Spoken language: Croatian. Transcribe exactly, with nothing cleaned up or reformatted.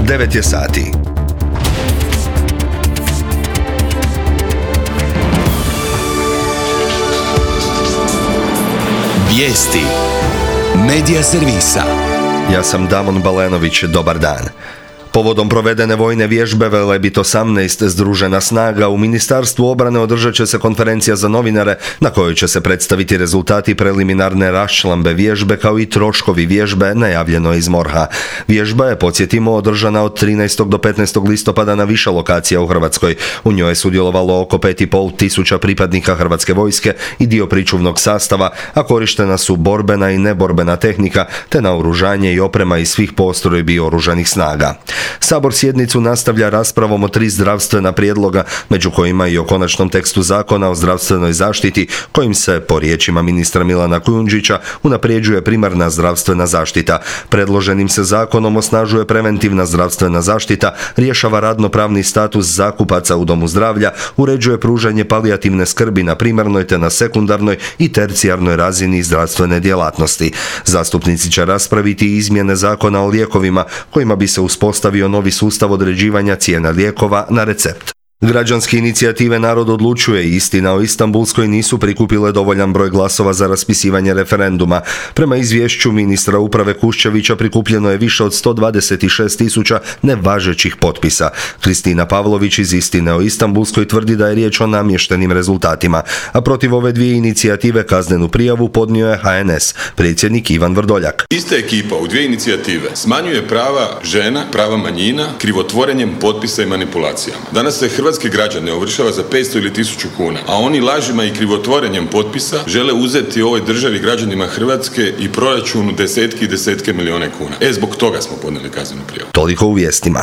devet je sati. Vijesti Medija servisa. Ja sam Damon Balenović, dobar dan. Povodom provedene vojne vježbe Velebit osamnaest Združena snaga u Ministarstvu obrane održat će se konferencija za novinare na kojoj će se predstaviti rezultati preliminarne raščlambe vježbe kao i troškovi vježbe, najavljeno iz MORH-a. Vježba je, podsjetimo, održana od trinaestog do petnaestog listopada na više lokacija u Hrvatskoj. U njoj je sudjelovalo oko pet i pol tisuća pripadnika Hrvatske vojske i dio pričuvnog sastava, a korištena su borbena i neborbena tehnika te naoružanje i oprema iz svih postrojbi oružanih snaga. Sabor sjednicu nastavlja raspravom o tri zdravstvena prijedloga, među kojima i o konačnom tekstu zakona o zdravstvenoj zaštiti, kojim se, po riječima ministra Milana Kujundžića, unapređuje primarna zdravstvena zaštita. Predloženim se zakonom osnažuje preventivna zdravstvena zaštita, rješava radnopravni status zakupaca u domu zdravlja, uređuje pružanje palijativne skrbi na primarnoj te na sekundarnoj i tercijarnoj razini zdravstvene djelatnosti. Zastupnici će raspraviti izmjene zakona o lijekovima, kojima bi se uspostavio novi sustav određivanja cijena lijekova na recept. Građanske inicijative Narod odlučuje i Istina o Istanbulskoj nisu prikupile dovoljan broj glasova za raspisivanje referenduma. Prema izvješću ministra uprave Kuščevića prikupljeno je više od sto dvadeset šest tisuća nevažećih potpisa. Kristina Pavlović iz Istine o Istanbulskoj tvrdi da je riječ o namještenim rezultatima, a protiv ove dvije inicijative kaznenu prijavu podnio je H N S, predsjednik Ivan Vrdoljak. Ista ekipa u dvije inicijative smanjuje prava žena, prava manjina, krivotvorenjem potpisa i manipulacijama. Danas se Hrvatski Hrvatske građane ovršava za petsto ili tisuću kuna, a oni lažima i krivotvorenjem potpisa žele uzeti ovoj državi, građanima Hrvatske i proračunu desetke i desetke milijune kuna. E, zbog toga smo podnijeli kaznenu prijavu. Toliko u vijestima.